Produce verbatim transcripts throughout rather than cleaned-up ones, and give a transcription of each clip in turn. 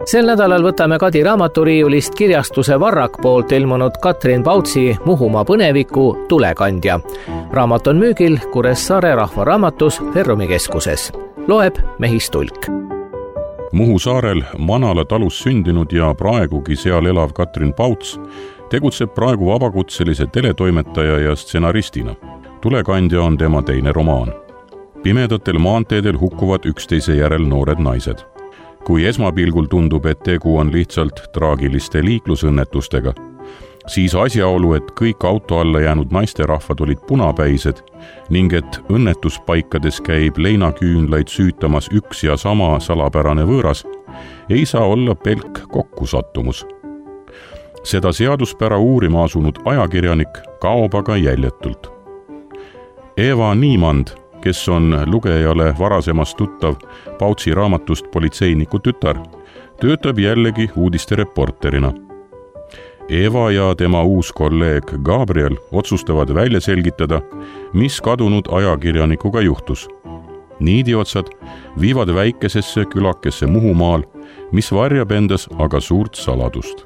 Sel nädalal võtame Kadi raamaturiiulist kirjastuse Varrak poolt ilmunud Katrin Pautsi Muhumaa põneviku Tulekandja. Raamat on müügil Kuressaare rahvaraamatus Ferrumi keskuses. Loeb Mehis Tulk. Muhu saarel Manala talus sündinud ja praegugi seal elav Katrin Pauts tegutseb praegu vabakutselise teletoimetaja ja stsenaristina. Tulekandja on tema teine romaan. Pimedatel maanteedel hukkuvad üksteise järel noored naised. Kui esmapilgul tundub, et tegu on lihtsalt traagiliste liiklusõnnetustega, siis asjaolu, et kõik auto alla jäänud naisterahvad olid punapäised ning et õnnetuspaikades käib leinaküünlaid süütamas üks ja sama salapärane võõras, ei saa olla pelk kokkusattumus. Seda seaduspära uurima asunud ajakirjanik kaob aga jäljetult. Eva Niimand, kes on lugejale varasemast tuttav Pautsi raamatust Politseiniku tütar, töötab jällegi uudistereporterina. Eva ja tema uus kolleeg Gabriel otsustavad välja selgitada, mis kadunud ajakirjanikuga juhtus. Niidiotsad viivad väikesesse külakesse Muhumaal, mis varjab endas aga suurt saladust.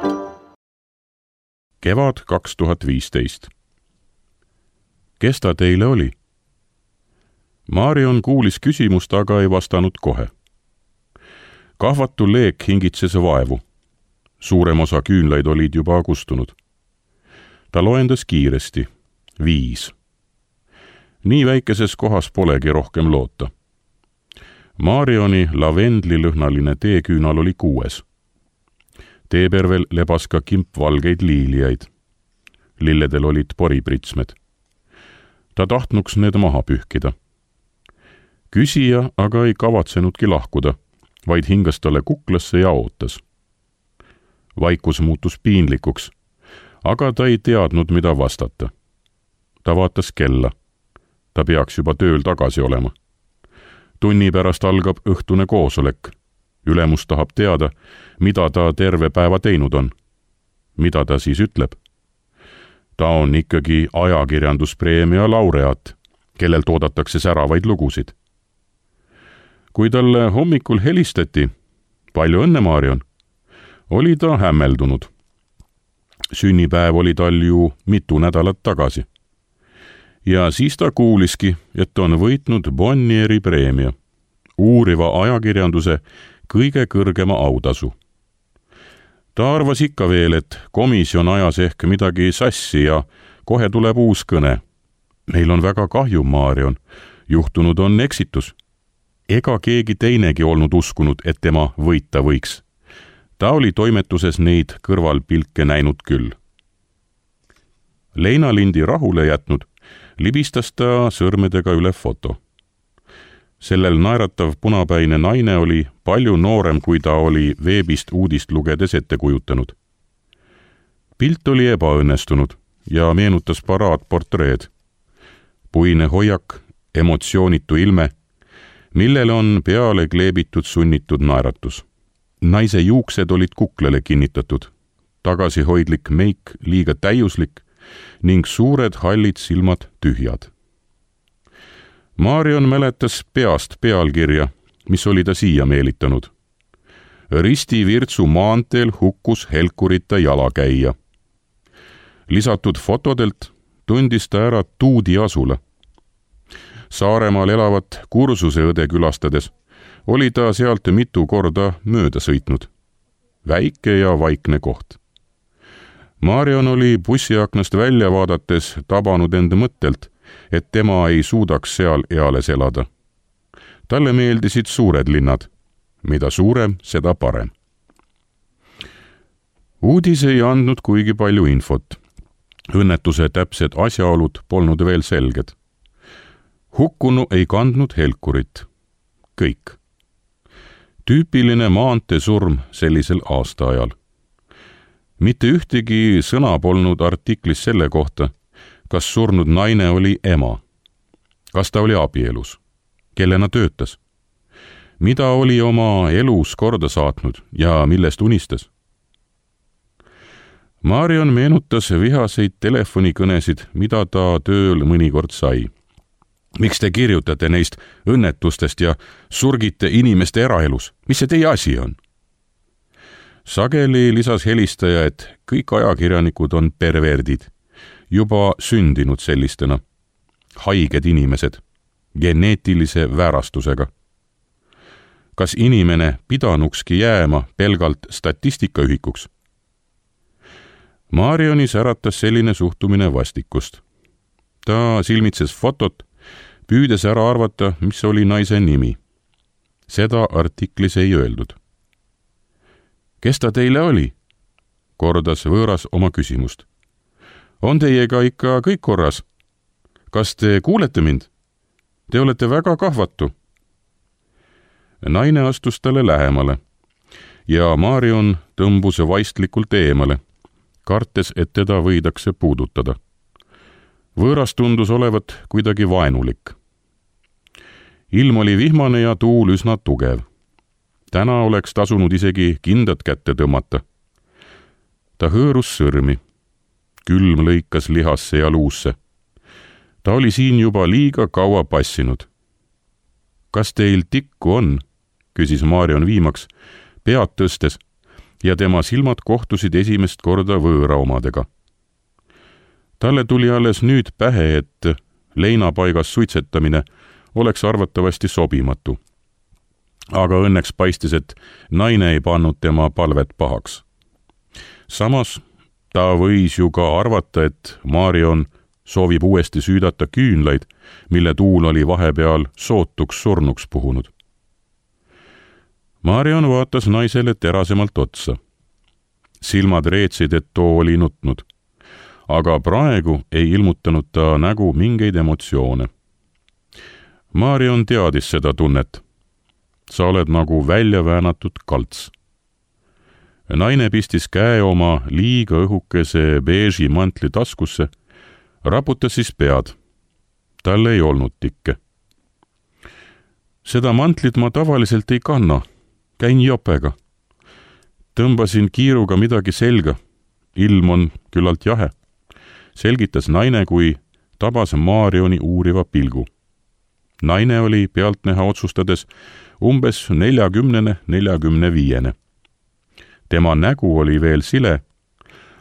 Kevad kaks tuhat viisteist. Kes ta teile oli? Marion kuulis küsimust, aga ei vastanud kohe. Kahvatu leek hingitses vaevu. Suurem osa küünlaid olid juba kustunud. Ta loendas kiiresti. Viis. Nii väikeses kohas polegi rohkem loota. Marioni lavendlilõhnaline teeküünal oli kuues. Teepervel lebas ka kimp valgeid liiliaid. Lilledel olid poripritsmed. Ta tahtnuks need maha pühkida. Küsija aga ei kavatsenudki lahkuda, vaid hingas talle kuklasse ja ootas. Vaikus muutus piinlikuks, aga ta ei teadnud, mida vastata. Ta vaatas kella. Ta peaks juba tööl tagasi olema. Tunni pärast algab õhtune koosolek. Ülemus tahab teada, mida ta terve päeva teinud on. Mida ta siis ütleb? Ta on ikkagi ajakirjanduspreemia laureaat, kellel toodatakse säravaid lugusid. Kui talle hommikul helistati, palju õnne, Marion, oli ta hämmeldunud. Sünnipäev oli tal ju mitu nädalat tagasi. Ja siis ta kuuliski, et on võitnud Bonnieri preemia, uuriva ajakirjanduse kõige kõrgema autasu. Ta arvas ikka veel, et komisjon ajas ehk midagi sassi ja kohe tuleb uus kõne. Meil on väga kahju, Marion, juhtunud on eksitus. Ega keegi teinegi olnud uskunud, et tema võita võiks. Ta oli toimetuses neid kõrvalpilke näinud küll. Leinalindi rahule jätnud, libistas ta sõrmedega üle foto. Sellel naeratav punapäine naine oli palju noorem, kui ta oli veebist uudist lugedes ette kujutanud. Pilt oli ebaõnnestunud ja meenutas paraadportreed. Puine hoiak, emotsioonitu ilme, millele on peale kleebitud sunnitud naeratus. Naise juuksed olid kuklele kinnitatud, tagasihoidlik meik liiga täiuslik ning suured hallid silmad tühjad. Marion mäletas peast pealkirja, mis oli ta siia meelitanud. Risti Virtsu maanteel hukkus helkurita jalakäija. Lisatud fotodelt tundis ta ära Tuudi asula. Saaremaal elavat kursuseõde külastades oli ta sealt mitu korda mööda sõitnud. Väike ja vaikne koht. Marion oli bussiaknast välja vaadates tabanud end mõttelt, et tema ei suudaks seal eales elada. Talle meeldisid suured linnad. Mida suurem, seda parem. Uudis ei andnud kuigi palju infot. Õnnetuse täpsed asjaolud polnud veel selged. Hukkunu ei kandnud helkurit. Kõik. Tüüpiline maanteesurm sellisel aastaajal. Mitte ühtegi sõna polnud artiklis selle kohta, kas surnud naine oli ema. Kas ta oli abielus? Kellena töötas? Mida oli oma elus korda saatnud ja millest unistas? Marion meenutas vihaseid telefonikõnesid, mida ta tööl mõnikord sai. Miks te kirjutate neist õnnetustest ja surgite inimeste eraelus? Mis see teie asi on? sageli lisas helistaja, et kõik ajakirjanikud on perverdid, juba sündinud sellistena, haiged inimesed, geneetilise väärastusega. Kas inimene pidanukski jääma pelgalt statistikaühikuks? Marionis äratas selline suhtumine vastikust. Ta silmitses fotot, püüdes ära arvata, mis oli naise nimi. Seda artiklis ei öeldud. Kes ta teile oli? Kordas võõras oma küsimust. On teiega ikka kõik korras? Kas te kuulete mind? Te olete väga kahvatu. Naine astus talle lähemale ja Marion tõmbus vaistlikult eemale, kartes, et teda võidakse puudutada. Võõras tundus olevat kuidagi vaenulik. Ilm oli vihmane ja tuul üsna tugev. Täna oleks tasunud isegi kindad kätte tõmmata. Ta hõõrus sõrmi. Külm lõikas lihasse ja luusse. Ta oli siin juba liiga kaua passinud. Kas teil tikku on? Küsis Marion viimaks, pead tõstes, ja tema silmad kohtusid esimest korda võõra omadega. Talle tuli alles nüüd pähe, et leinapaigas suitsetamine oleks arvatavasti sobimatu. Aga õnneks paistis, et naine ei pannud tema palvet pahaks. Samas ta võis ju ka arvata, et Marion soovib uuesti süüdata küünlaid, mille tuul oli vahepeal sootuks surnuks puhunud. Marion vaatas naisele terasemalt otsa. Silmad reetsid, et too oli nutnud, aga praegu ei ilmutanud ta nägu mingeid emotsioone. Marion teadis seda tunnet. Sa oled nagu välja väänatud kalts. Naine pistis käe oma liiga õhukese beeži mantli taskusse, raputas siis pead. Tal ei olnud tikke. Seda mantlit ma tavaliselt ei kanna. Käin jopega. Tõmbasin kiiruga midagi selga. Ilm on küllalt jahe. Selgitas naine, kui tabas Marioni uuriva pilgu. Naine oli pealtnäha otsustades umbes neljakümnene, neljakümne viiene. Tema nägu oli veel sile,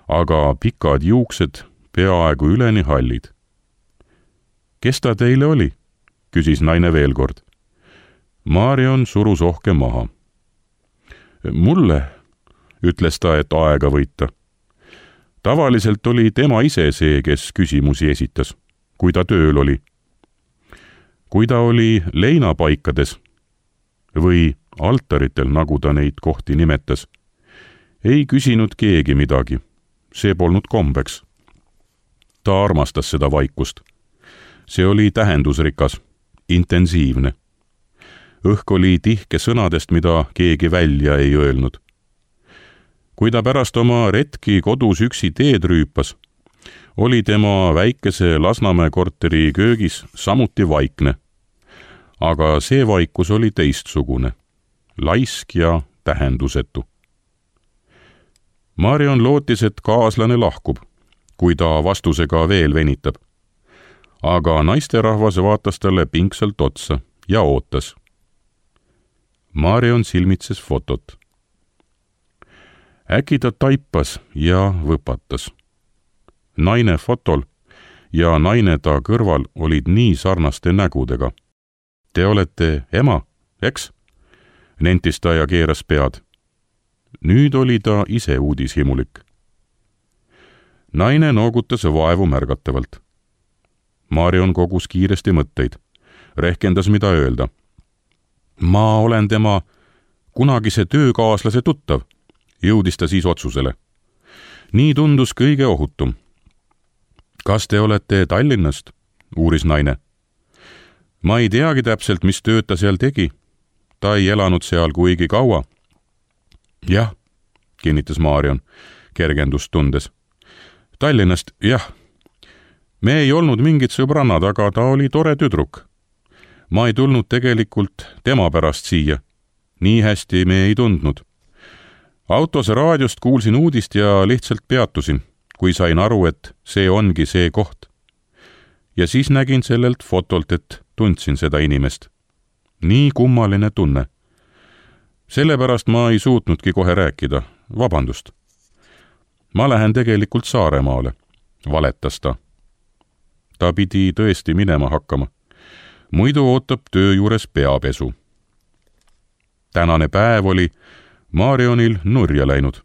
aga pikad juuksed peaaegu üleni hallid. Kes ta teile oli? Küsis naine veel kord. Marion surus ohke maha. Mulle, ütles ta, et aega võita. Tavaliselt oli tema ise see, kes küsimusi esitas, kui ta tööl oli. Kui ta oli leinapaikades või altaritel, nagu ta neid kohti nimetas, ei küsinud keegi midagi. See polnud kombeks. Ta armastas seda vaikust. See oli tähendusrikas, intensiivne. Õhk oli tihke sõnadest, mida keegi välja ei öelnud. Kui ta pärast oma retki kodus üksi teed rüüpas, oli tema väikese Lasnamäe korteri köögis samuti vaikne. Aga see vaikus oli teistsugune, laisk ja tähendusetu. Marion lootis, et kaaslane lahkub, kui ta vastusega veel venitab. Aga naisterahvas vaatas talle pingsalt otsa ja ootas. Marion silmitses fotot. Äkki ta taipas ja võpatas. Naine fotol ja naine ta kõrval olid nii sarnaste nägudega. Te olete ema, eks? Nentis ta ja keeras pead. Nüüd oli ta ise uudishimulik. Naine noogutas vaevu märgatavalt. Marion kogus kiiresti mõtteid. Rehkendas, mida öelda. Ma olen tema kunagise töökaaslase tuttav, jõudis ta siis otsusele. Nii tundus kõige ohutum. Kas te olete Tallinnast? Uuris naine. Ma ei teagi täpselt, mis tööd ta seal tegi. Ta ei elanud seal kuigi kaua. Jah, kinnitas Marion, kergendust tundes. Tallinnast, jah. Me ei olnud mingid sõbrannad, aga ta oli tore tüdruk. Ma ei tulnud tegelikult tema pärast siia. Nii hästi me ei tundnud. Autos raadiost kuulsin uudist ja lihtsalt peatusin, kui sain aru, et see ongi see koht. Ja siis nägin sellelt fotolt, et tundsin seda inimest. Nii kummaline tunne. sellepärast ma ei suutnudki kohe rääkida, vabandust. Ma lähen tegelikult Saaremaale, valetas ta. Ta pidi tõesti minema hakkama. Muidu ootab töö juures peapesu. Tänane päev oli Marionil nurja läinud.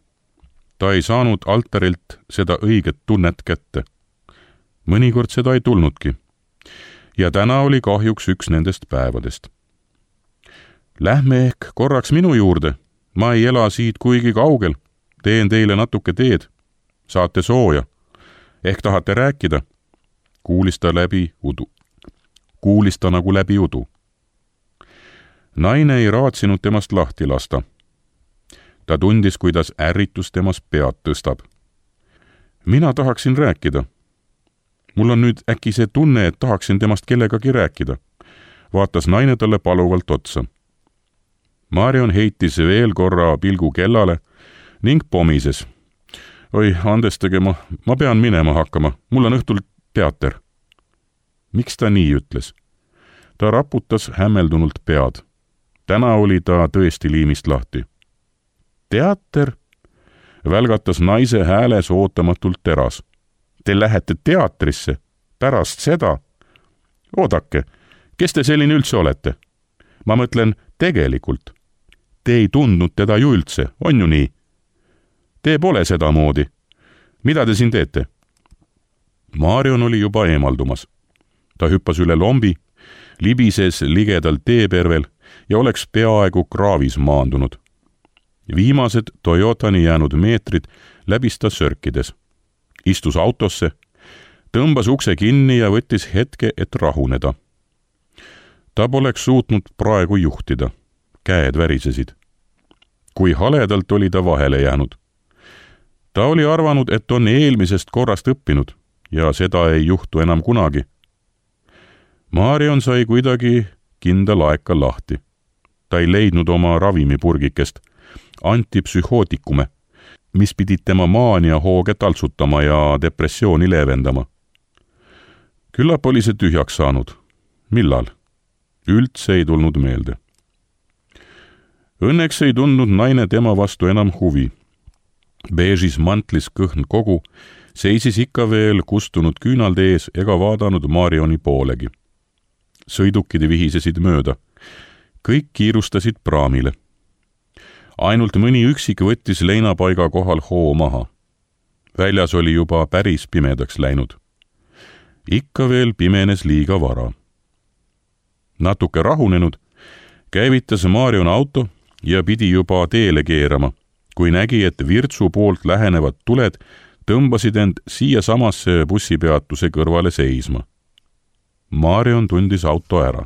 Ta ei saanud altarilt seda õiget tunnet kätte. Mõnikord seda ei tulnudki. Ja täna oli kahjuks üks nendest päevadest. Lähme ehk korraks minu juurde. Ma ei ela siit kuigi kaugel. Teen teile natuke teed. Saate sooja. Ehk tahate rääkida? Kuulis ta läbi udu. Kuulis ta nagu läbi udu. Naine ei raatsinud temast lahti lasta. Ta tundis, kuidas ärritus temas pead tõstab. Mina tahaksin rääkida. Mul on nüüd äkki see tunne, et tahaksin temast kellegagi rääkida. Vaatas naine talle paluvalt otsa. Marion heitis veel korra pilgu kellale ning pomises. Oi, andestage, ma, ma pean minema hakkama. Mul on õhtul teater. Miks ta nii ütles? Ta raputas hämmeldunult pead. Täna oli ta tõesti liimist lahti. Teater? Välgatas naise hääles ootamatult teras. Te lähete teatrisse? Pärast seda? Oodake, kes te selline üldse olete? Ma mõtlen tegelikult. Te ei tundnud teda ju üldse, on ju nii? Te pole seda moodi. Mida te siin teete? Marion oli juba eemaldumas. Ta hüppas üle lombi, libises ligedal teepervel ja oleks peaaegu kraavis maandunud. Viimased Toyotani jäänud meetrid läbis ta sörkides. Istus autosse, tõmbas ukse kinni ja võttis hetke, et rahuneda. Ta poleks suutnud praegu juhtida. Käed värisesid. Kui haledalt oli ta vahele jäänud. Ta oli arvanud, et on eelmisest korrast õppinud ja seda ei juhtu enam kunagi. Marion sai kuidagi kindla laeka lahti. Ta ei leidnud oma ravimipurgikest, antipsühhootikume, mis pidid tema maania hooge taltsutama ja depressiooni leevendama. Küllap oli see tühjaks saanud. Millal? Üldse ei tulnud meelde. Õnneks ei tundnud naine tema vastu enam huvi. Beežis mantlis kõhn kogu, seisis ikka veel kustunud küünalde ees ega vaadanud Marioni poolegi. Sõidukid vihisesid mööda. Kõik kiirustasid praamile. Ainult mõni üksik võttis leinapaiga kohal hoo maha. Väljas oli juba päris pimedaks läinud. Ikka veel pimenes liiga vara. Natuke rahunenud, käivitas Marion auto ja pidi juba teele keerama, kui nägi, et Virtsu poolt lähenevad tuled tõmbasid end siia samasse bussipeatuse kõrvale seisma. Marion tundis auto ära.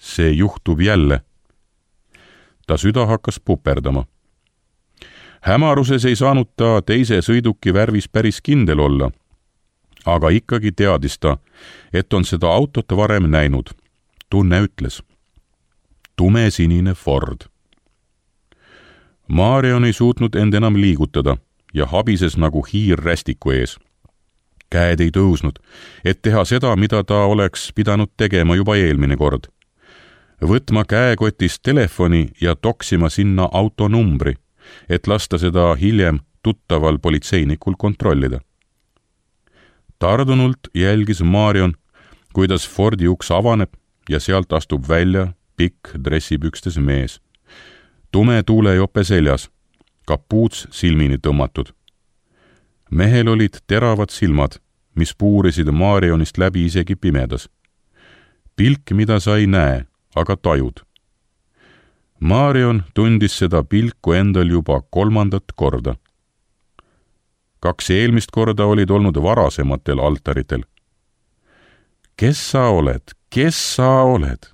See juhtub jälle. Ta süda hakkas puperdama. Hämaruses ei saanud ta teise sõiduki värvis päris kindel olla, aga ikkagi teadis ta, et on seda autot varem näinud. Tunne ütles. Tumesinine Ford. Marion ei suutnud end enam liigutada ja habises nagu hiir rästiku ees. Käed ei tõusnud, et teha seda, mida ta oleks pidanud tegema juba eelmine kord. Võtma käekotist telefoni ja toksima sinna autonumbri, et lasta seda hiljem tuttaval politseinikul kontrollida. Tardunult jälgis Marion, kuidas Fordi uks avaneb ja sealt astub välja pikk dressipükstes mees. Tume tuulejope seljas, kapuuts silmini tõmmatud. Mehel olid teravad silmad, mis puurisid Marionist läbi isegi pimedas. Pilk, mida sa ei näe, aga tajud. Marion tundis seda pilku endal juba kolmandat korda. Kaks eelmist korda olid olnud varasematel altaritel. Kes sa oled? Kes sa oled?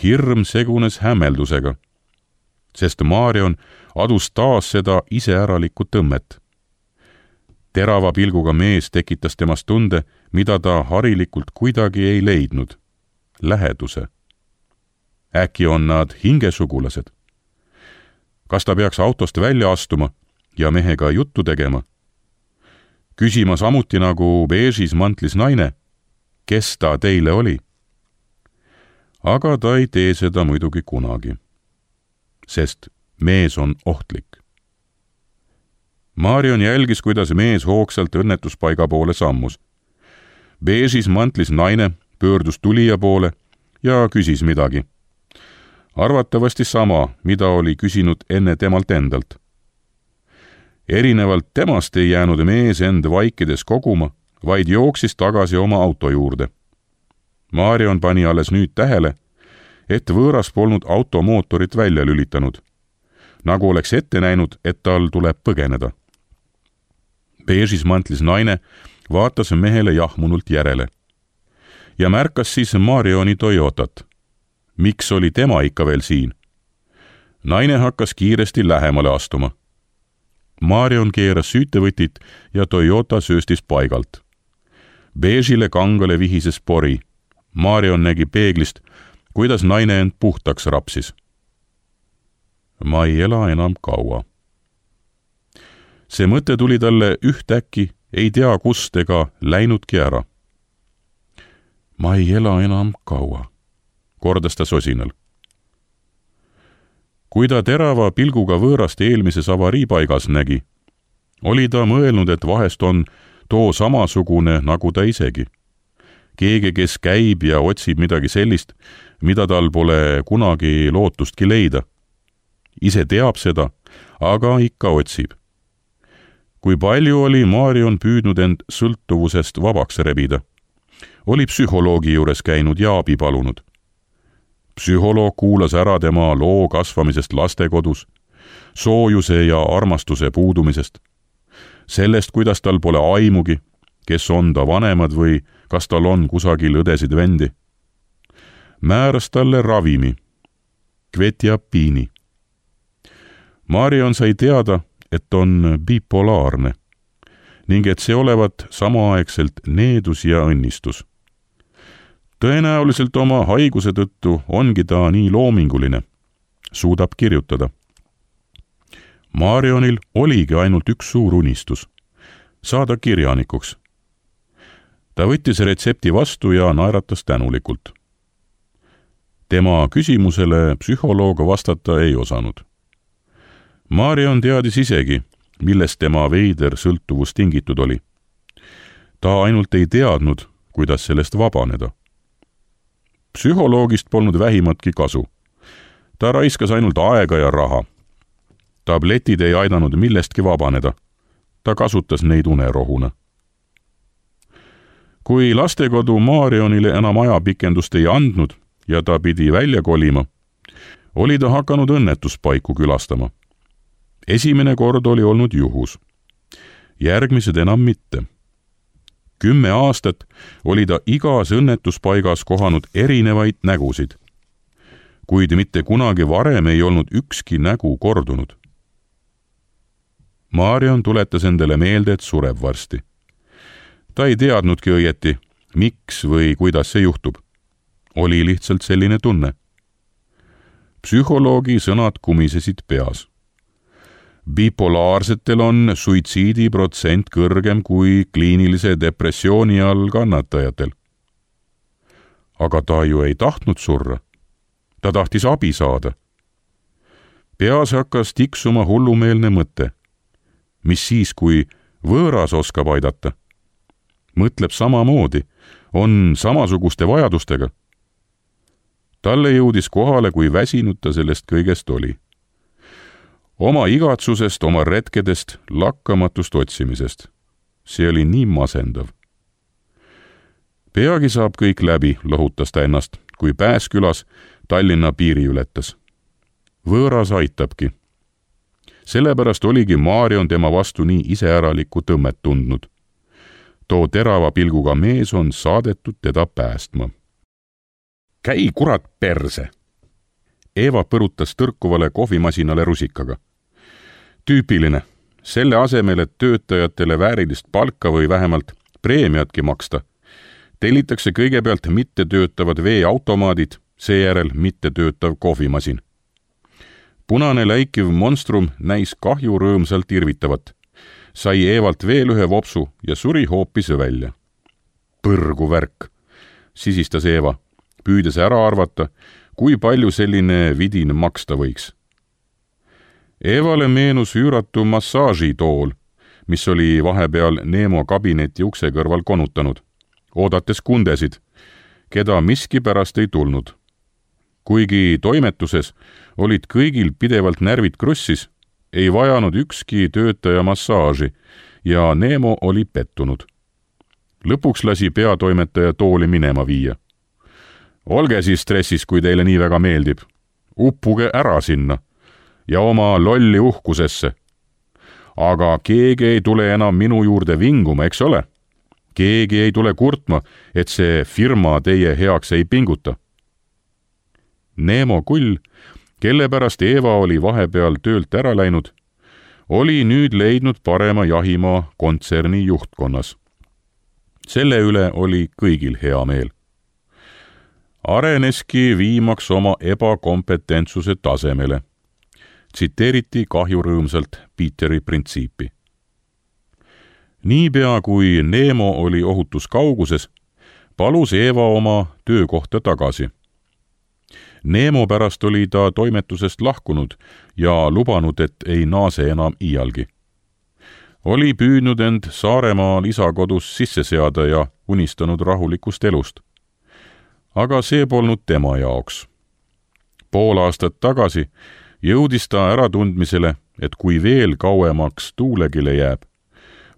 Hirm segunes hämmeldusega, sest Marion adus taas seda iseäralikku tõmmet. Terava pilguga mees tekitas temast tunde, mida ta harilikult kuidagi ei leidnud. Läheduse. Äkki on nad hingesugulased? Kas ta peaks autost välja astuma ja mehega juttu tegema? Küsima samuti nagu beežis mantlis naine, kes ta teile oli? Aga ta ei tee seda muidugi kunagi. sest mees on ohtlik. Marion jälgis, kuidas mees hoogsalt õnnetuspaiga poole sammus. Beežis mantlis naine pöördus tulija poole ja küsis midagi. Arvatavasti sama, mida oli küsinud enne temalt endalt. Erinevalt temast ei jäänud mees end vaikides koguma, vaid jooksis tagasi oma auto juurde. Marion pani alles nüüd tähele, et võõras polnud automootorit välja lülitanud, nagu oleks ette näinud, et tal tuleb põgeneda. Beežis mantlis naine vaatas mehele jahmunult järele ja märkas siis Marioni Toyotat. Miks oli tema ikka veel siin? Naine hakkas kiiresti lähemale astuma. Marion keeras süütevõtit ja Toyota sööstis paigalt. Beežile kangale vihises pori. Marion nägi peeglist, kuidas naine end puhtaks rapsis. Ma ei ela enam kaua. See mõte tuli talle ühtäkki, ei tea kust ega läinudki ära. Ma ei ela enam kaua, kordas ta sosinal. Kui ta terava pilguga võõrast eelmises avariipaigas nägi, oli ta mõelnud, et vahest on too samasugune nagu ta isegi. Keegi, kes käib ja otsib midagi sellist, mida tal pole kunagi lootustki leida. Ise teab seda, aga ikka otsib. Kui palju oli Marion püüdnud end sõltuvusest vabaks rebida, oli psühholoogi juures käinud ja abi palunud. Psühholoog kuulas ära tema loo kasvamisest lastekodus, soojuse ja armastuse puudumisest, sellest, kuidas tal pole aimugi, kes on ta vanemad või kas tal on kusagil õdesid vendi. Määras talle ravimi, kvetiapiini. Marion sai teada, et on bipolaarne ning et see olevat samaaegselt needus ja õnnistus. Tõenäoliselt oma haiguse tõttu ongi ta nii loominguline, suudab kirjutada. Marionil oligi ainult üks suur unistus, saada kirjanikuks. Ta võttis retsepti vastu ja naeratas tänulikult. Tema küsimusele psühholoog vastata ei osanud. Marion teadis isegi, millest tema veider sõltuvus tingitud oli. Ta ainult ei teadnud, kuidas sellest vabaneda. Psühholoogist polnud vähimatki kasu. Ta raiskas ainult aega ja raha. Tabletid ei aidanud millestki vabaneda. Ta kasutas neid unerohuna. Kui lastekodu Marionile enam ajapikendust ei andnud ja ta pidi välja kolima, oli ta hakanud õnnetuspaiku külastama. Esimene kord oli olnud juhus. Järgmised enam mitte. Kümme aastat oli ta igas õnnetuspaigas kohanud erinevaid nägusid, kuid mitte kunagi varem ei olnud ükski nägu kordunud. Marion tuletas endale meelde, et sureb varsti. Ta ei teadnudki õieti, miks või kuidas see juhtub. Oli lihtsalt selline tunne. Psühholoogi sõnad kumisesid peas. Bipolaarsetel on suitsiidiprotsent kõrgem kui kliinilise depressiooni all kannatajatel. Aga ta ju ei tahtnud surra. Ta tahtis abi saada. Peas hakkas tiksuma hullumeelne mõte. Mis siis, kui võõras oskab aidata? Mõtleb samamoodi, on samasuguste vajadustega. Talle jõudis kohale, kui väsinud ta sellest kõigest oli. Oma igatsusest, oma retkedest, lakkamatust otsimisest. See oli nii masendav. Peagi saab kõik läbi, lohutas ta ennast, kui Pääskülas Tallinna piiri ületas. Võõras aitabki. Sellepärast oligi Marion tema vastu nii iseäralikku tõmmet tundnud. Too terava pilguga mees on saadetud teda päästma. Käi kurat perse! Eeva põrutas tõrkuvale kohvimasinale rusikaga. Tüüpiline. Selle asemel, et töötajatele väärilist palka või vähemalt preemiatki maksta, tellitakse kõigepealt mittetöötavad veeautomaadid, seejärel mittetöötav kohvimasin. Punane läikiv monstrum näis kahju rõõmsalt irvitavat. Sai Eevalt veel ühe vopsu ja suri hoopis välja. Põrgu värk, sisistas Eeva, püüdes ära arvata, kui palju selline vidin maksta võiks. Evale meenus üüratu massaažitool, mis oli vahepeal Neemo kabineti ukse kõrval konutanud, oodates kundesid, keda miskipärast ei tulnud. Kuigi toimetuses olid kõigil pidevalt närvid krussis, ei vajanud ükski töötaja massaaži ja Neemo oli pettunud. Lõpuks lasi peatoimetaja tooli minema viia. Olge siis stressis, kui teile nii väga meeldib. Uppuge ära sinna ja oma lolli uhkusesse. Aga keegi ei tule enam minu juurde vinguma, eks ole? Keegi ei tule kurtma, et see firma teie heaks ei pinguta. Neemo Kull, kelle pärast Eva oli vahepeal töölt ära läinud, oli nüüd leidnud parema jahimaa kontserni juhtkonnas. Selle üle oli kõigil hea meel. Areneski viimaks oma ebakompetentsuse tasemele. Tsiteeriti kahjurõõmsalt Peteri printsiipi. Niipea kui Neemo oli ohutus kauguses, palus Eva oma töökohta tagasi. Neemo pärast oli ta toimetusest lahkunud ja lubanud, et ei naase enam iialgi. Oli püüdnud end Saaremaal isakodus sisse seada ja unistanud rahulikust elust. Aga see polnud tema jaoks. Pool aastat tagasi jõudis ta äratundmisele, et kui veel kauemaks tuulegile jääb,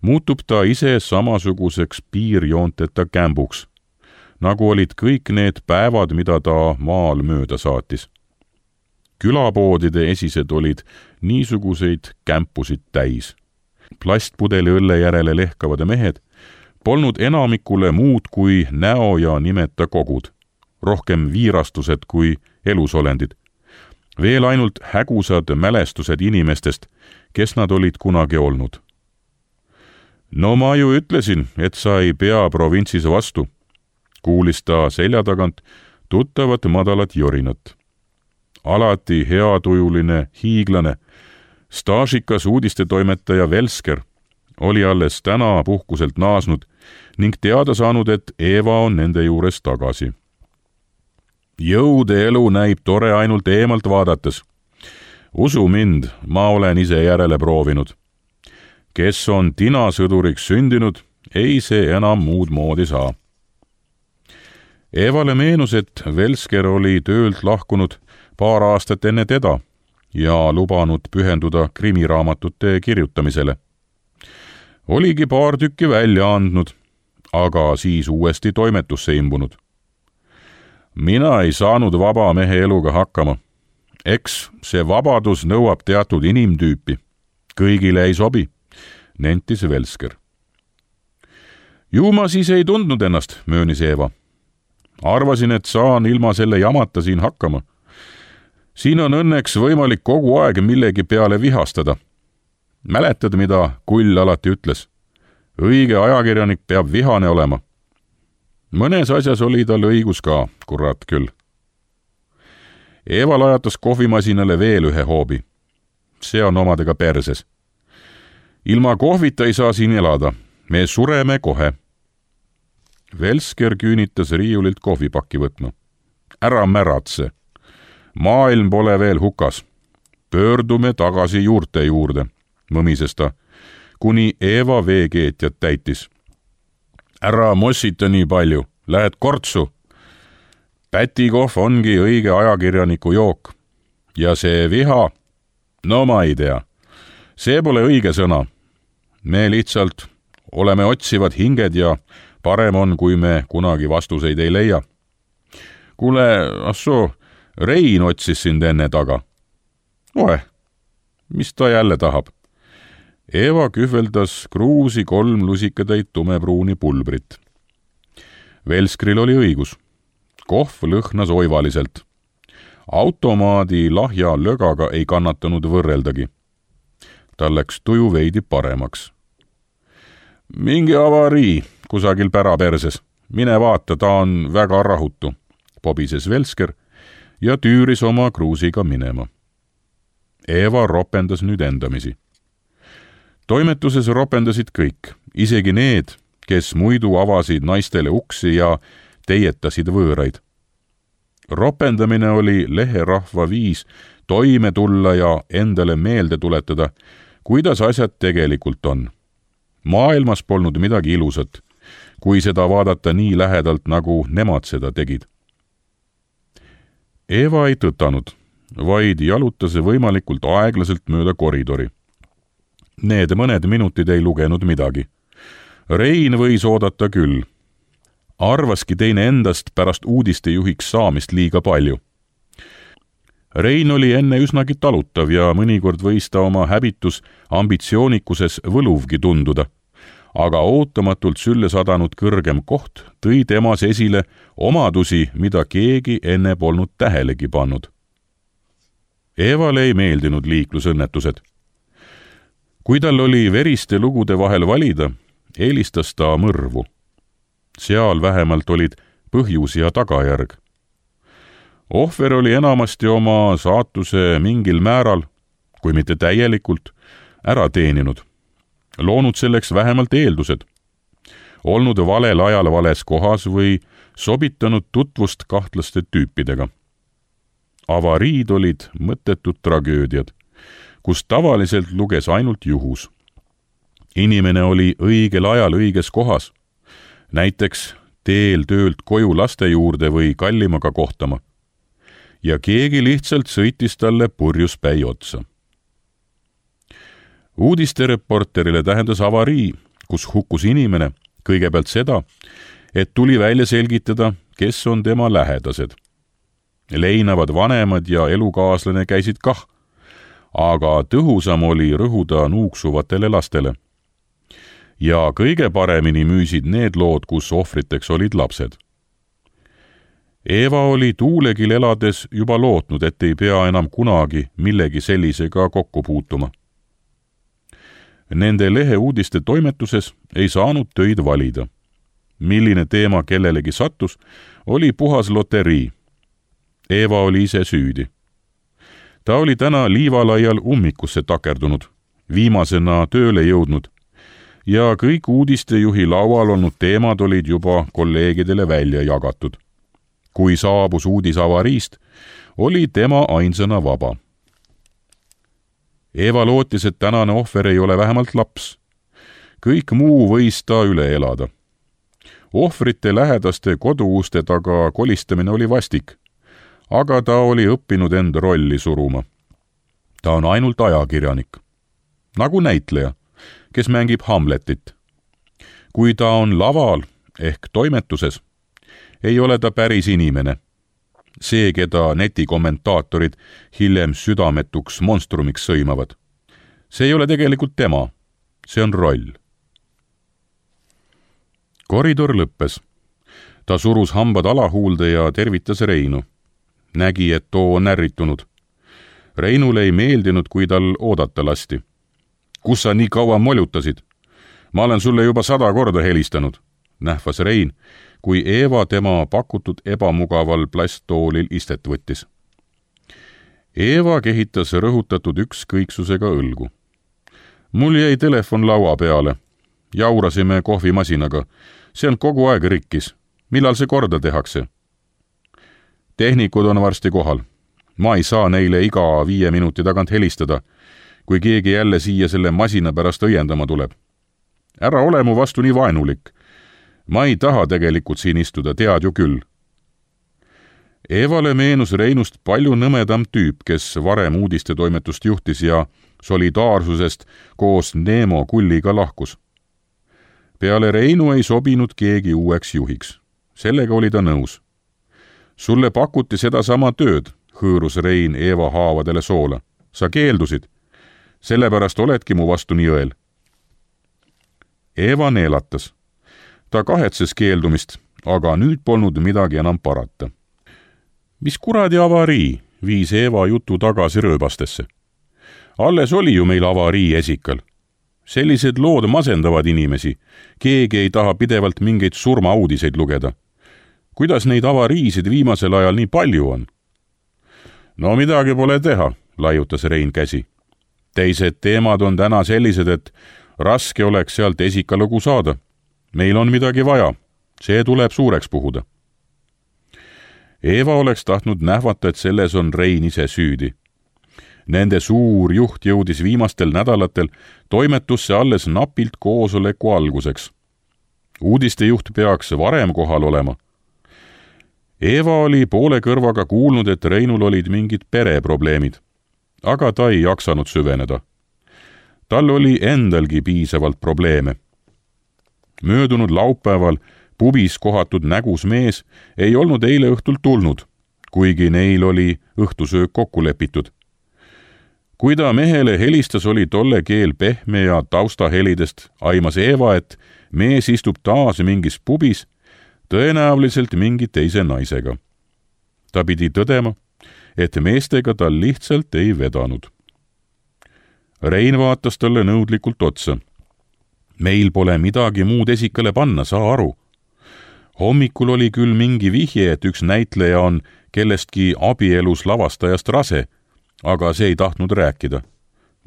muutub ta ise samasuguseks piirjoonteta kämbuks, nagu olid kõik need päevad, mida ta maal mööda saatis. Külapoodide esised olid niisuguseid kämpusid täis. Plastpudeli õlle järele lehkavad mehed polnud enamikule muud kui näo ja nimeta kogud, rohkem viirastused kui elusolendid. Veel ainult hägusad mälestused inimestest, kes nad olid kunagi olnud. No ma ju ütlesin, et sa ei pea provintsis vastu, kuulis ta selja tagant tuttavat madalat jorinat. Alati heatujuline hiiglane, staažikas uudistetoimetaja Velsker oli alles täna puhkuselt naasnud ning teada saanud, et Eva on nende juures tagasi. Jõude elu näib tore ainult eemalt vaadates. Usu mind, ma olen ise järele proovinud. Kes on tinasõduriks sündinud, ei see enam muud moodi saa. Evale meenus, et Velsker oli töölt lahkunud paar aastat enne teda ja lubanud pühenduda krimiraamatute kirjutamisele. Oligi paar tükki välja andnud, aga siis uuesti toimetusse imbunud. Mina ei saanud vaba mehe eluga hakkama. Eks see vabadus nõuab teatud inimtüüpi. Kõigile ei sobi, nentis Velsker. Ju ma siis ei tundnud ennast, möönis Eva. Arvasin, et saan ilma selle jamata siin hakkama. Siin on õnneks võimalik kogu aeg millegi peale vihastada. Mäletad, mida Kull alati ütles? Õige ajakirjanik peab vihane olema. Mõnes asjas oli tal õigus ka, kurat küll. Eva lajatas kohvimasinale veel ühe hoobi. See on omadega perses. Ilma kohvita ei saa siin elada. Me sureme kohe. Velsker küünitas riiulilt kohvipakki võtma. Ära märatse. Maailm pole veel hukas. Pöördume tagasi juurte juurde, mõmises ta, kuni Eva veekeetjat täitis. Ära mossita nii palju, lähed kortsu. Pätikohv ongi õige ajakirjaniku jook. Ja see viha, no ma ei tea. See pole õige sõna. Me lihtsalt oleme otsivad hinged ja parem on, kui me kunagi vastuseid ei leia. Kuule, assoo, Rein otsis sind enne taga. Oe, mis ta jälle tahab? Eva kühveldas kruusi kolm lusikatäit tumepruuni pulbrit. Velskril oli õigus. Kohv lõhnas oivaliselt. Automaadi lahja lögaga ei kannatanud võrreldagi. Tal läks tuju veidi paremaks. Mingi avarii kusagil päraperses. Mine vaata, ta on väga rahutu, pobises Velsker ja tüüris oma kruusiga minema. Eva ropendas nüüd endamisi. Toimetuses ropendasid kõik, isegi need, kes muidu avasid naistele uksi ja teietasid võõraid. Ropendamine oli leherahva viis toime tulla ja endale meelde tuletada, kuidas asjad tegelikult on. Maailmas polnud midagi ilusat, kui seda vaadata nii lähedalt, nagu nemad seda tegid. Eva ei tõtanud, vaid jalutas võimalikult aeglaselt mööda koridori. Need mõned minutid ei lugenud midagi. Rein võis oodata küll. Arvaski teine endast pärast uudistejuhiks saamist liiga palju. Rein oli enne üsnagi talutav ja mõnikord võis ta oma häbitus ambitsioonikuses võluvgi tunduda, aga ootamatult sülle sadanud kõrgem koht tõi temas esile omadusi, mida keegi enne polnud tähelegi pannud. Evale ei meeldinud liiklusõnnetused. Kui tal oli veriste lugude vahel valida, eelistas ta mõrvu. Seal vähemalt olid põhjus ja tagajärg. Ohver oli enamasti oma saatuse mingil määral, kui mitte täielikult, ära teeninud. Loonud selleks vähemalt eeldused. Olnud valel ajal vales kohas või sobitanud tutvust kahtlaste tüüpidega. Avariid olid mõttetud tragöödiad, kus tavaliselt luges ainult juhus. Inimene oli õigel ajal õiges kohas, näiteks teel töölt koju laste juurde või kallimaga kohtama, ja keegi lihtsalt sõitis talle purjus päi otsa. Uudistereporterile tähendas avarii, kus hukkus inimene, kõigepealt seda, et tuli välja selgitada, kes on tema lähedased. Leinavad vanemad ja elukaaslane käisid kah, aga tõhusam oli rõhuda nuuksuvatele lastele. Ja kõige paremini müüsid need lood, kus ohvriteks olid lapsed. Eva oli tuulegil elades juba lootnud, et ei pea enam kunagi millegi sellisega kokku puutuma. Nende lehe uudiste toimetuses ei saanud töid valida. Milline teema kellelegi sattus, oli puhas loterii. Eva oli ise süüdi. Ta oli täna liivalaial ummikusse takerdunud, viimasena tööle jõudnud, ja kõik uudistejuhi laual olnud teemad olid juba kolleegidele välja jagatud. Kui saabus uudis avariist, oli tema ainsana vaba. Eva lootis, et tänane ohver ei ole vähemalt laps. Kõik muu võis ta üle elada. Ohvrite lähedaste koduuste taga kolistamine oli vastik, aga ta oli õppinud end rolli suruma. Ta on ainult ajakirjanik. Nagu näitleja, kes mängib Hamletit. Kui ta on laval ehk toimetuses, ei ole ta päris inimene. See, keda netikommentaatorid hiljem südametuks monstrumiks sõimavad. See ei ole tegelikult tema. See on roll. Koridor lõppes. Ta surus hambad alahuulde ja tervitas Reinu. Nägi, et too on ärritunud. Reinule ei meeldinud, kui tal oodata lasti. Kus sa nii kaua molutasid? Ma olen sulle juba sada korda helistanud, nähvas Rein, kui Eva tema pakutud ebamugaval plasttoolil istet võttis. Eva kehitas rõhutatud ükskõiksusega õlgu. Mul jäi telefon laua peale. Jaurasime kohvimasinaga. See on kogu aeg rikkis. Millal see korda tehakse? Tehnikud on varsti kohal. Ma ei saa neile iga viie minuti tagant helistada, kui keegi jälle siia selle masina pärast õiendama tuleb. Ära ole mu vastu nii vaenulik. Ma ei taha tegelikult siin istuda, tead ju küll. Evale meenus Reinust palju nõmedam tüüp, kes varem uudistetoimetust juhtis ja solidaarsusest koos Neemo kulliga lahkus. Peale Reinu ei sobinud keegi uueks juhiks. Sellega oli ta nõus. Sulle pakuti seda sama tööd, hõõrus Rein Eva haavadele soola. Sa keeldusid. Sellepärast oledki mu vastu nii õel. Eva neelatas. Ta kahetses keeldumist, aga nüüd polnud midagi enam parata. Mis kuradi avarii, viis Eva jutu tagasi rööbastesse. Alles oli ju meil avarii esikal. Sellised lood masendavad inimesi. Keegi ei taha pidevalt mingeid surmauudiseid lugeda. Kuidas neid avariisid viimasel ajal nii palju on? No midagi pole teha, laiutas Rein käsi. Teised teemad on täna sellised, et raske oleks sealt esikalugu saada. Meil on midagi vaja. See tuleb suureks puhuda. Eva oleks tahtnud nähvata, et selles on Rein ise süüdi. Nende suur juht jõudis viimastel nädalatel toimetusse alles napilt koosoleku alguseks. Uudistejuht peaks varem kohal olema. Eva oli poole kõrvaga kuulnud, et Reinul olid mingid pereprobleemid, aga ta ei jaksanud süveneda. Tal oli endalgi piisavalt probleeme. Möödunud laupäeval pubis kohatud nägus mees ei olnud eile õhtul tulnud, kuigi neil oli õhtusöök kokku lepitud. Kui ta mehele helistas, oli tolle keel pehme ja taustahelidest aimas Eva, et mees istub taas mingis pubis, tõenäoliselt mingi teise naisega. Ta pidi tõdema, et meestega tal lihtsalt ei vedanud. Rein vaatas talle nõudlikult otsa. Meil pole midagi muud esikale panna, saa aru. Hommikul oli küll mingi vihje, et üks näitleja on kellestki abielus lavastajast rase, aga see ei tahtnud rääkida.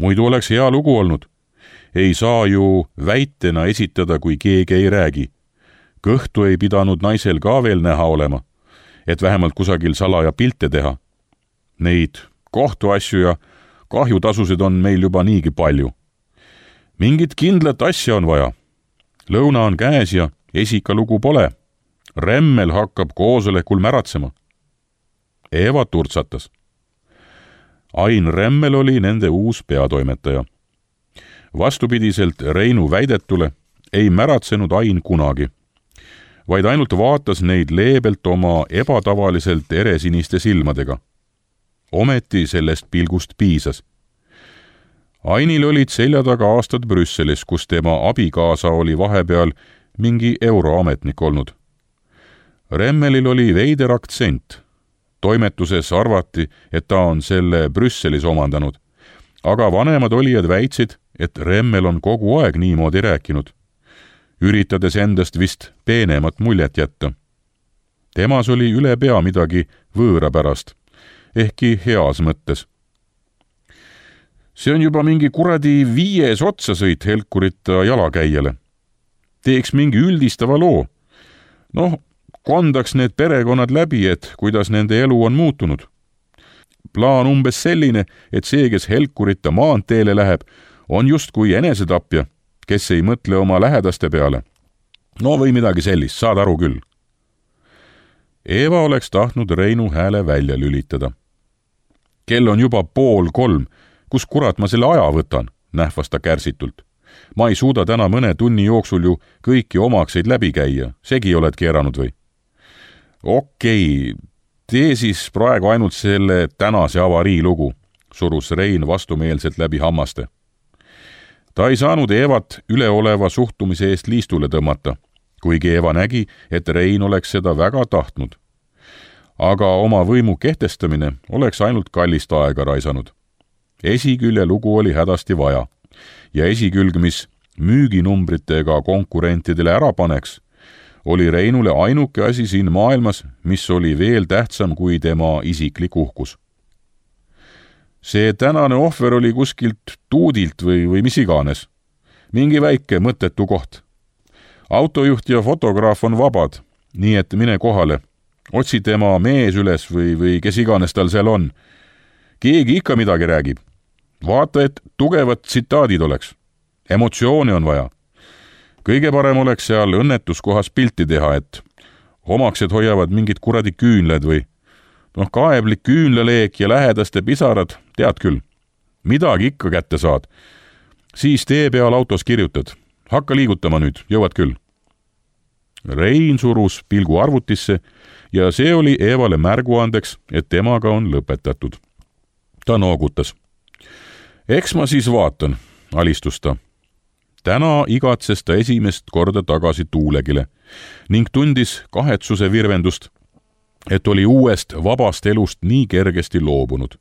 Muidu oleks hea lugu olnud. Ei saa ju väitena esitada, kui keegi ei räägi. Kõhtu ei pidanud naisel ka veel näha olema, et vähemalt kusagil salaja pilte teha. Neid kohtuasju ja kahjutasusid on meil juba niigi palju. Mingit kindlat asja on vaja. Lõuna on käes ja esikalugu pole. Remmel hakkab koosolekul märatsema. Eva turtsatas. Ain Remmel oli nende uus peatoimetaja. Vastupidiselt Reinu väidetule ei märatsenud Ain kunagi, vaid ainult vaatas neid leebelt oma ebatavaliselt eresiniste silmadega. Ometi sellest pilgust piisas. Ainil olid selja taga aastad Brüsselis, kus tema abikaasa oli vahepeal mingi euroametnik olnud. Remmelil oli veider aktsent. Toimetuses arvati, et ta on selle Brüsselis omandanud, aga vanemad olijad väitsid, et Remmel on kogu aeg niimoodi rääkinud, üritades endast vist peenemat muljet jätta. Temas oli üle pea midagi võõra pärast, ehkki heas mõttes. See on juba mingi kuradi viies otsasõit helkurita jalakäijale. Teeks mingi üldistava loo. Noh, kondaks need perekonnad läbi, et kuidas nende elu on muutunud. Plaan umbes selline, et see, kes helkurita maanteele läheb, on just kui enesetapja, kes ei mõtle oma lähedaste peale. No või midagi sellist, saad aru küll. Eva oleks tahtnud Reinu hääle välja lülitada. Kell on juba pool kolm, kus kurat ma selle aja võtan, nähvas ta kärsitult. Ma ei suuda täna mõne tunni jooksul ju kõiki omakseid läbi käia, segi oled keeranud või? Okei, tee siis praegu ainult selle tänase avarii lugu, surus Rein vastumeelselt läbi hammaste. Ta ei saanud Evat üleoleva suhtumise eest liistule tõmmata, kuigi Eva nägi, et Rein oleks seda väga tahtnud. Aga oma võimu kehtestamine oleks ainult kallist aega raisanud. Esikülje lugu oli hädasti vaja ja esikülg, mis müüginumbritega konkurentidele ära paneks, oli Reinule ainuke asi siin maailmas, mis oli veel tähtsam kui tema isiklik uhkus. See tänane ohver oli kuskilt tuudilt või, või mis iganes. Mingi väike mõttetu koht. Autojuht ja fotograaf on vabad, nii et mine kohale. Otsi tema mees üles või, või kes iganes tal seal on. Keegi ikka midagi räägib. Vaata, et tugevad tsitaadid oleks. Emotsiooni on vaja. Kõige parem oleks seal õnnetuskohas pilti teha, et omaksed hoiavad mingid kuradi küünled või noh, kaeblik küünlaleek ja lähedaste pisarad, tead küll. Midagi ikka kätte saad. Siis tee peal autos kirjutad. Hakka liigutama nüüd, jõuad küll. Rein surus pilgu arvutisse ja see oli Evale märguandeks, et temaga on lõpetatud. Ta noogutas. Eks ma siis vaatan, alistus ta. Täna igatses ta esimest korda tagasi Tuulegile ning tundis kahetsuse virvendust, et oli uuest vabast elust nii kergesti loobunud.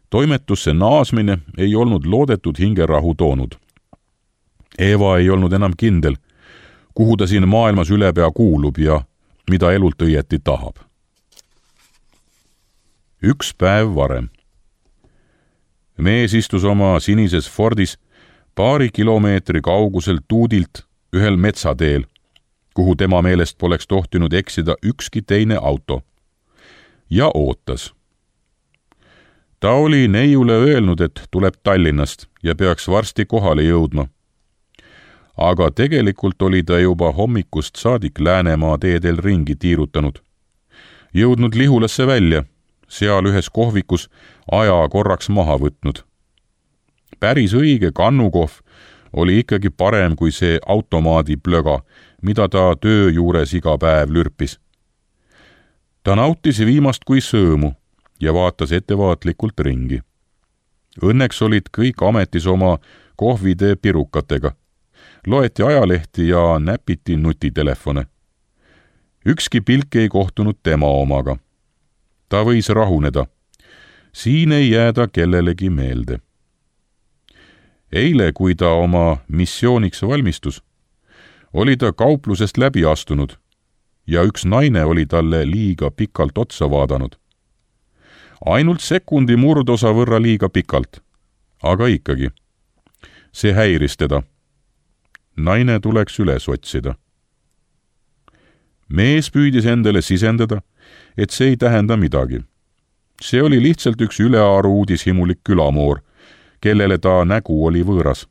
Toimetusse naasmine ei olnud loodetud hingerahu toonud. Eva ei olnud enam kindel, kuhu ta siin maailmas ülepea kuulub ja mida elult õieti tahab. Üks päev varem. Mees istus oma sinises Fordis paari kilomeetri kaugusel tuudilt ühel metsateel, kuhu tema meelest poleks tohtinud eksida ükski teine auto. Ja ootas. ta oli neiule öelnud, et tuleb Tallinnast ja peaks varsti kohale jõudma. Aga tegelikult oli ta juba hommikust saadik Läänemaa teedel ringi tiirutanud. Jõudnud Lihulasse välja, seal ühes kohvikus aja korraks maha võtnud. Päris õige kannukohv oli ikkagi parem kui see automaadi plöga, mida ta töö juures iga päev lürpis. Ta nautis viimast kui sõõmu ja vaatas ettevaatlikult ringi. Õnneks olid kõik ametis oma kohvide pirukatega. Loeti ajalehti ja näpiti nutitelefone. Ükski pilk ei kohtunud tema omaga. Ta võis rahuneda. Siin ei jääda kellelegi meelde. Eile, kui ta oma missiooniks valmistus, oli ta kauplusest läbi astunud ja üks naine oli talle liiga pikalt otsa vaadanud. Ainult sekundi murdosa võrra liiga pikalt, aga ikkagi. See häiris teda. Naine tuleks üles otsida. Mees püüdis endale sisendada, et see ei tähenda midagi. See oli lihtsalt üks ülearu uudishimulik külamoor, kellele ta nägu oli võõras.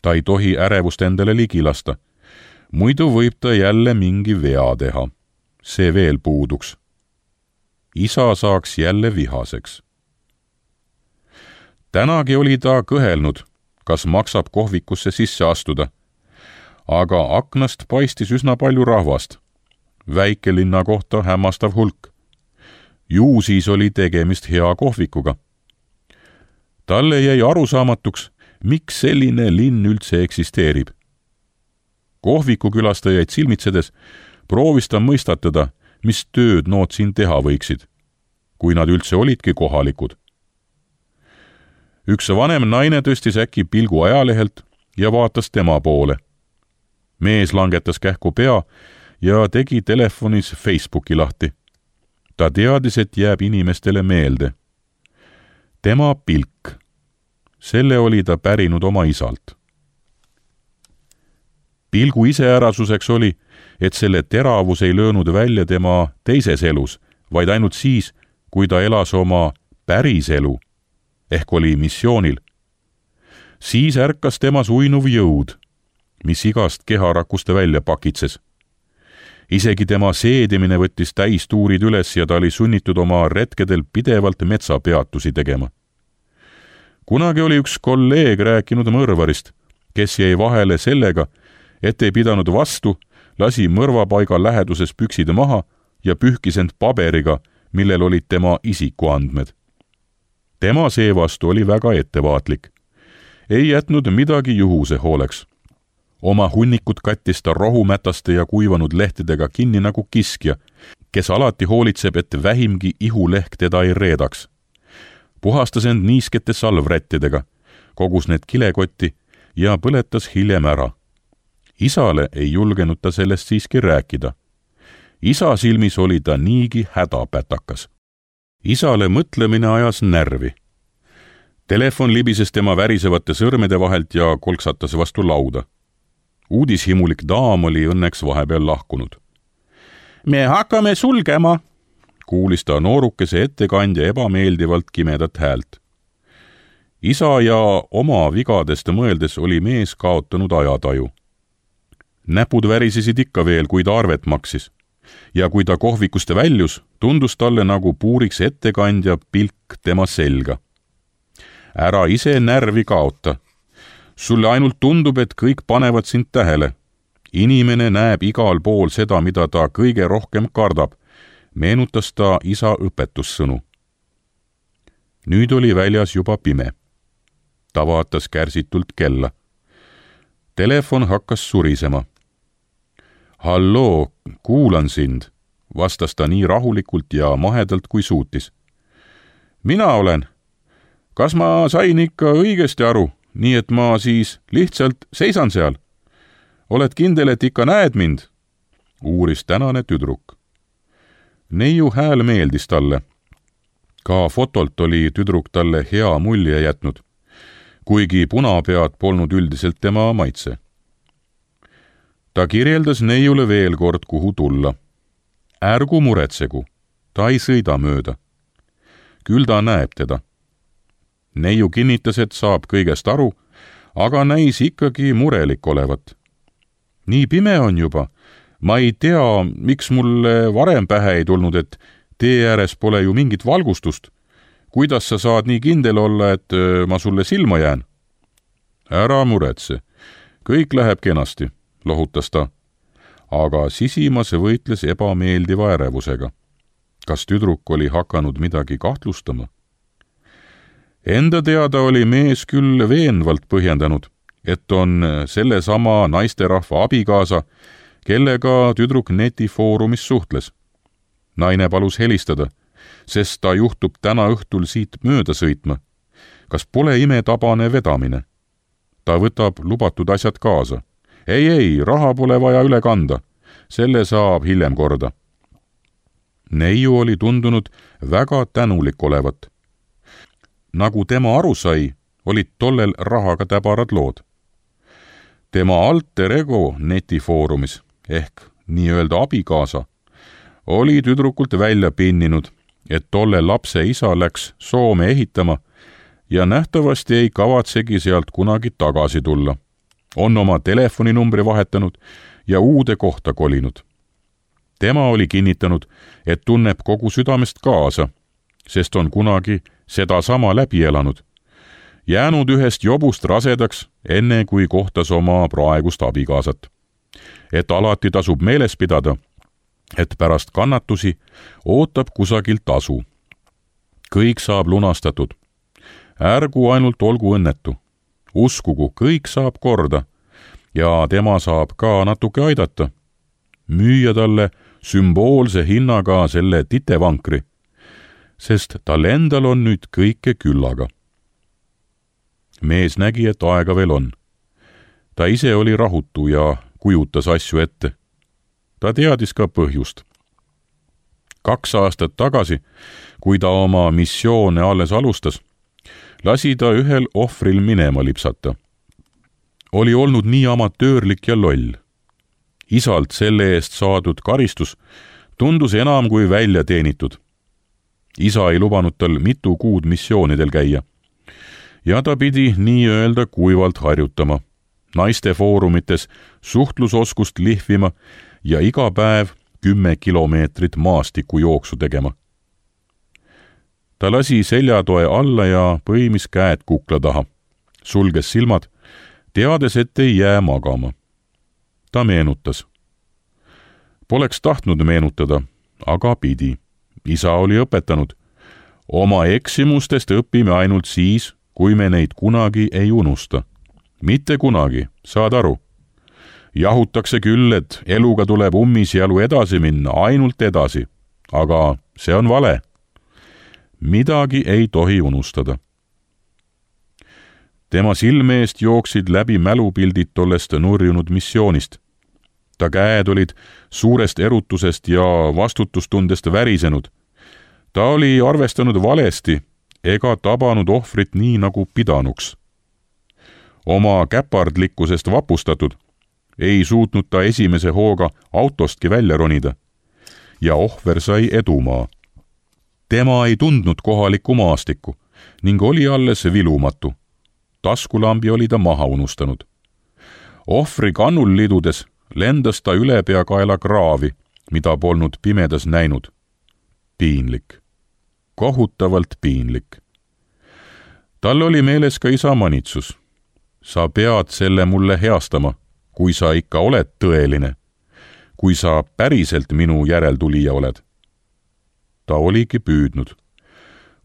Ta ei tohi ärevust endale ligi lasta. Muidu võib ta jälle mingi vea teha. See veel puuduks. Isa saaks jälle vihaseks. Tänagi oli ta kõhelnud, kas maksab kohvikusse sisse astuda. Aga aknast paistis üsna palju rahvast. Väikelinna kohta hämmastav hulk. Ju siis oli tegemist hea kohvikuga. Talle jäi arusaamatuks, miks selline linn üldse eksisteerib. Kohviku külastajaid silmitsedes proovis ta mõistatada, mis tööd nood siin teha võiksid, kui nad üldse olidki kohalikud. Üks vanem naine tõstis äkki pilgu ajalehelt ja vaatas tema poole. Mees langetas kähku pea ja tegi telefonis Facebooki lahti. Ta teadis, et jääb inimestele meelde. Tema pilk. Selle oli ta pärinud oma isalt. Pilgu iseärasuseks oli, et selle teravus ei löönud välja tema teises elus, vaid ainult siis, kui ta elas oma päris elu, ehk oli missioonil. Siis ärkas temas uinuv jõud, mis igast keharakuste välja pakitses. Isegi tema seedimine võttis täistuurid üles ja ta oli sunnitud oma retkedel pidevalt metsapeatusi tegema. Kunagi oli üks kolleeg rääkinud mõrvarist, kes jäi vahele sellega, et ei pidanud vastu, lasi mõrvapaiga läheduses püksid maha ja pühkis end paberiga, millel olid tema isikuandmed. Tema seevastu oli väga ettevaatlik. Ei jätnud midagi juhuse hooleks. Oma hunnikut kattis ta rohumätaste ja kuivanud lehtedega kinni nagu kiskja, kes alati hoolitseb, et vähimgi ihulehk teda ei reedaks. Puhastas end niiskete salvrättidega, kogus need kilekotti ja põletas hiljem ära. Isale ei julgenud ta sellest siiski rääkida. Isa silmis oli ta niigi hädapätakas. Isale mõtlemine ajas närvi. Telefon libises tema värisevate sõrmede vahelt ja kolksatas vastu lauda. Uudishimulik daam oli õnneks vahepeal lahkunud. Me hakkame sulgema, kuulis ta noorukese ettekandja ebameeldivalt kimedat häält. Isa ja oma vigadest mõeldes oli mees kaotanud ajataju. Näpud värisesid ikka veel, kui ta arvet maksis. Ja kui ta kohvikuste väljus, tundus talle nagu puuriks ettekandja pilk tema selga. Ära ise närvi kaota. Sulle ainult tundub, et kõik panevad sind tähele. Inimene näeb igal pool seda, mida ta kõige rohkem kardab, meenutas ta isa õpetussõnu. Nüüd oli väljas juba pime. Ta vaatas kärsitult kella. Telefon hakkas surisema. Halloo, kuulan sind, vastas ta nii rahulikult ja mahedalt kui suutis. Mina olen. Kas ma sain ikka õigesti aru, nii et ma siis lihtsalt seisan seal? Oled kindel, et ikka näed mind? Uuris tänane tüdruk. Neiu hääl meeldis talle. Ka fotolt oli tüdruk talle hea mulje jätnud, kuigi punapead polnud üldiselt tema maitse. Ta kirjeldas neiule veel kord, kuhu tulla. Ärgu muretsegu, ta ei sõida mööda. küll ta näeb teda. Neiu kinnitas, et saab kõigest aru, aga näis ikkagi murelik olevat. Nii pime on juba. Ma ei tea, miks mulle varem pähe ei tulnud, et tee ääres pole ju mingit valgustust. Kuidas sa saad nii kindel olla, et ma sulle silma jään? Ära muretse. Kõik läheb kenasti, lohutas ta. Aga sisimas võitles ebameeldiva ärevusega. Kas tüdruk oli hakanud midagi kahtlustama? Enda teada oli mees küll veenvalt põhjendanud, et on sellesama naisterahva abikaasa, kellega tüdruk netifoorumis suhtles. Naine palus helistada, sest ta juhtub täna õhtul siit mööda sõitma. Kas pole imetabane vedamine? Ta võtab lubatud asjad kaasa. Ei, ei, raha pole vaja üle kanda. Selle saab hiljem korda. Neiu oli tundunud väga tänulik olevat. Nagu tema aru sai, olid tollel rahaga täbarad lood. Tema alter ego netifoorumis ehk nii-öelda abikaasa oli tüdrukult välja pinninud, et tolle lapse isa läks Soome ehitama ja nähtavasti ei kavatsegi sealt kunagi tagasi tulla. On oma telefoninumbri vahetanud ja uude kohta kolinud. Tema oli kinnitanud, et tunneb kogu südamest kaasa, sest on kunagi seda sama läbi elanud. Jäänud ühest jobust rasedaks, enne kui kohtas oma praegust abikaasat. Et alati tasub meeles pidada, et pärast kannatusi ootab kusagilt tasu. Kõik saab lunastatud. Ärgu ainult olgu õnnetu. Uskugu, kõik saab korda ja tema saab ka natuke aidata. Müüa talle sümboolse hinnaga selle titevankri, sest tal endal on nüüd kõike küllaga. Mees nägi, et aega veel on. Ta ise oli rahutu ja kujutas asju ette. Ta teadis ka põhjust. Kaks aastat tagasi, kui ta oma missioone alles alustas, lasi ta ühel ohvril minema lipsata. Oli olnud nii amatöörlik ja loll. Isalt selle eest saadud karistus tundus enam kui välja teenitud. Isa ei lubanud tal mitu kuud missioonidel käia. Ja ta pidi nii-öelda kuivalt harjutama, naiste foorumites suhtlusoskust lihvima ja iga päev kümme kilomeetrit maastiku jooksu tegema. Ta lasi seljatoe alla ja põimis käed kukla taha, sulges silmad, teades, et ei jää magama. Ta meenutas. Poleks tahtnud meenutada, aga pidi. Isa oli õpetanud. Oma eksimustest õpime ainult siis, kui me neid kunagi ei unusta. Mitte kunagi, saad aru. Jahutakse küll, et eluga tuleb ummisjalu edasi minna, ainult edasi. Aga see on vale. Midagi ei tohi unustada. Tema silme eest jooksid läbi mälupildid tollest nurjunud missioonist. Ta käed olid suurest erutusest ja vastutustundest värisenud. Ta oli arvestanud valesti ega tabanud ohvrit nii nagu pidanuks. Oma käpardlikkusest vapustatud ei suutnud ta esimese hooga autostki välja ronida ja ohver sai edumaa. Tema ei tundnud kohalikku maastikku ning oli alles vilumatu. Taskulambi oli ta maha unustanud. Ohvri kannul lidudes lendas ta üle peakaela kraavi, mida polnud pimedas näinud. Piinlik. Kohutavalt piinlik. Tal oli meeles ka isa manitsus. Sa pead selle mulle heastama, kui sa ikka oled tõeline, kui sa päriselt minu järeltulija oled. Ta oligi püüdnud.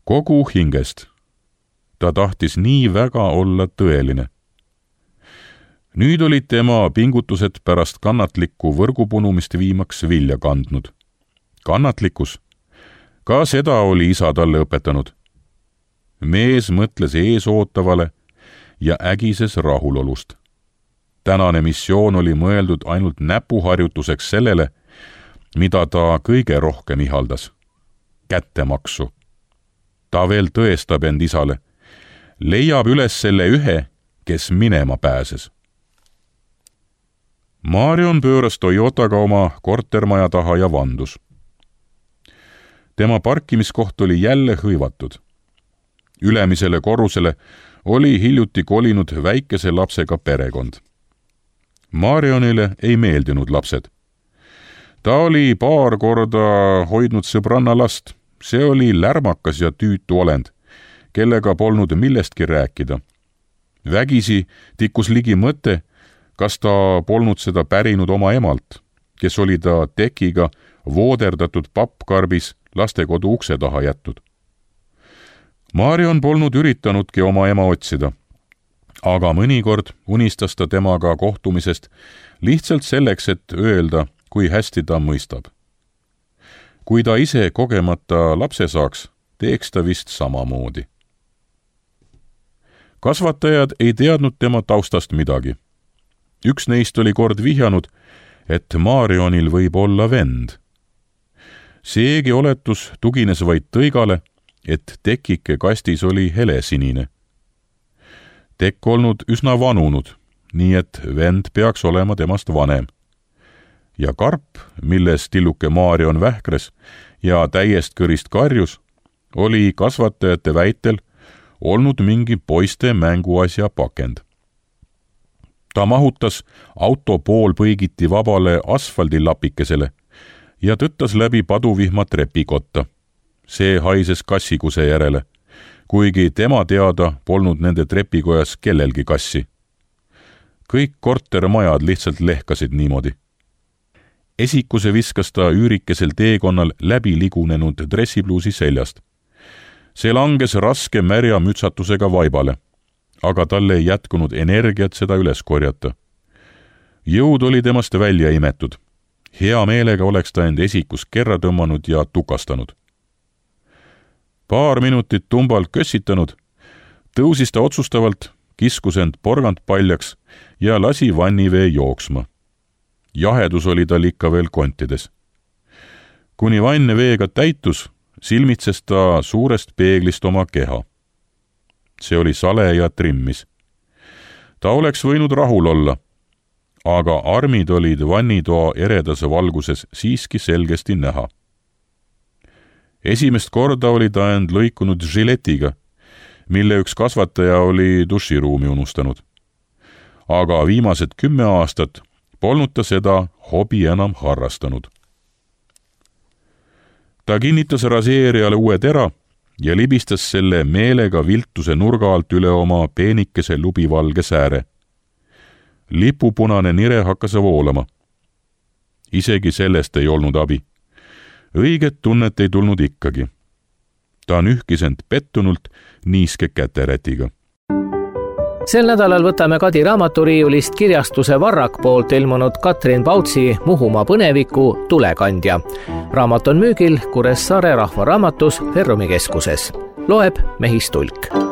Kogu hingest. Ta tahtis nii väga olla tõeline. Nüüd olid tema pingutused pärast kannatlikku võrgupunumist viimaks vilja kandnud. Kannatlikkus. Ka seda oli isa talle õpetanud. Mees mõtles eesootavale ja ägises rahulolust. Tänane missioon oli mõeldud ainult näpuharjutuseks sellele, mida ta kõige rohkem ihaldas. Kättemaksu. Ta veel tõestab end isale. Leiab üles selle ühe, kes minema pääses. Marion pööras Toyotaga oma kortermaja taha ja vandus. tema parkimiskoht oli jälle hõivatud. Ülemisele korrusele oli hiljuti kolinud väikese lapsega perekond. Marionile ei meeldinud lapsed. Ta oli paar korda hoidnud sõbranna last. See oli lärmakas ja tüütu olend, kellega polnud millestki rääkida. Vägisi tikkus ligi mõte, kas ta polnud seda pärinud oma emalt, kes oli ta tekiga vooderdatud pappkarbis lastekodu ukse taha jätnud. Marion polnud üritanudki oma ema otsida, aga mõnikord unistas ta temaga kohtumisest lihtsalt selleks, et öelda, kui hästi ta mõistab. Kui ta ise kogemata lapse saaks, teeks ta vist samamoodi. Kasvatajad ei teadnud tema taustast midagi. Üks neist oli kord vihjanud, et Marionil võib olla vend. Seegi oletus tugines vaid tõigale, et tekike kastis oli helesinine. Tekk olnud üsna vanunud, nii et vend peaks olema temast vanem. Ja karp, milles tilluke Marion vähkres ja täiest kõrist karjus, oli kasvatajate väitel olnud mingi poiste mänguasja pakend. Ta mahutas auto poolpõigiti vabale asfaldilapikesele ja tõttas läbi paduvihma trepikotta. See haises kassikuse järele, kuigi tema teada polnud nende trepikojas kellelgi kassi. Kõik kortermajad lihtsalt lehkasid niimoodi. Esikuse viskas ta üürikesel teekonnal läbi ligunenud dressipluusi seljast. See langes raske märja mütsatusega vaibale, aga talle ei jätkunud energiat seda üles korjata. Jõud oli temast välja imetud. Hea meelega oleks ta end esikus kerra tõmmanud ja tukastanud. Paar minutit tumbalt kössitanud, tõusis ta otsustavalt, kiskus end porgand paljaks ja lasi vannivee jooksma. Jahedus oli tal ikka veel kontides. Kuni vann veega täitus, silmitses ta suurest peeglist oma keha. See oli sale ja trimmis. Ta oleks võinud rahul olla, aga armid olid vannitoa eredas valguses siiski selgesti näha. Esimest korda oli ta end lõikunud žiletiga, mille üks kasvataja oli duširuumi unustanud. Aga viimased kümme aastat polnud ta seda hobi enam harrastanud. Ta kinnitas raseerijale uue tera ja libistas selle meelega viltuse nurga alt üle oma peenikese lubivalge sääre. Lipupunane nire hakkas voolama. Isegi sellest ei olnud abi. Õiget tunnet ei tulnud ikkagi. Ta nühkis end pettunult niiske käterätiga. Sel nädalal võtame Kadi raamaturiiulist kirjastuse Varrak poolt ilmunud Katrin Pautsi Muhumaa põneviku Tulekandja. Raamat on müügil Kuressaare Rahvaraamatus Ferrumi keskuses. Loeb Mehis Tulk.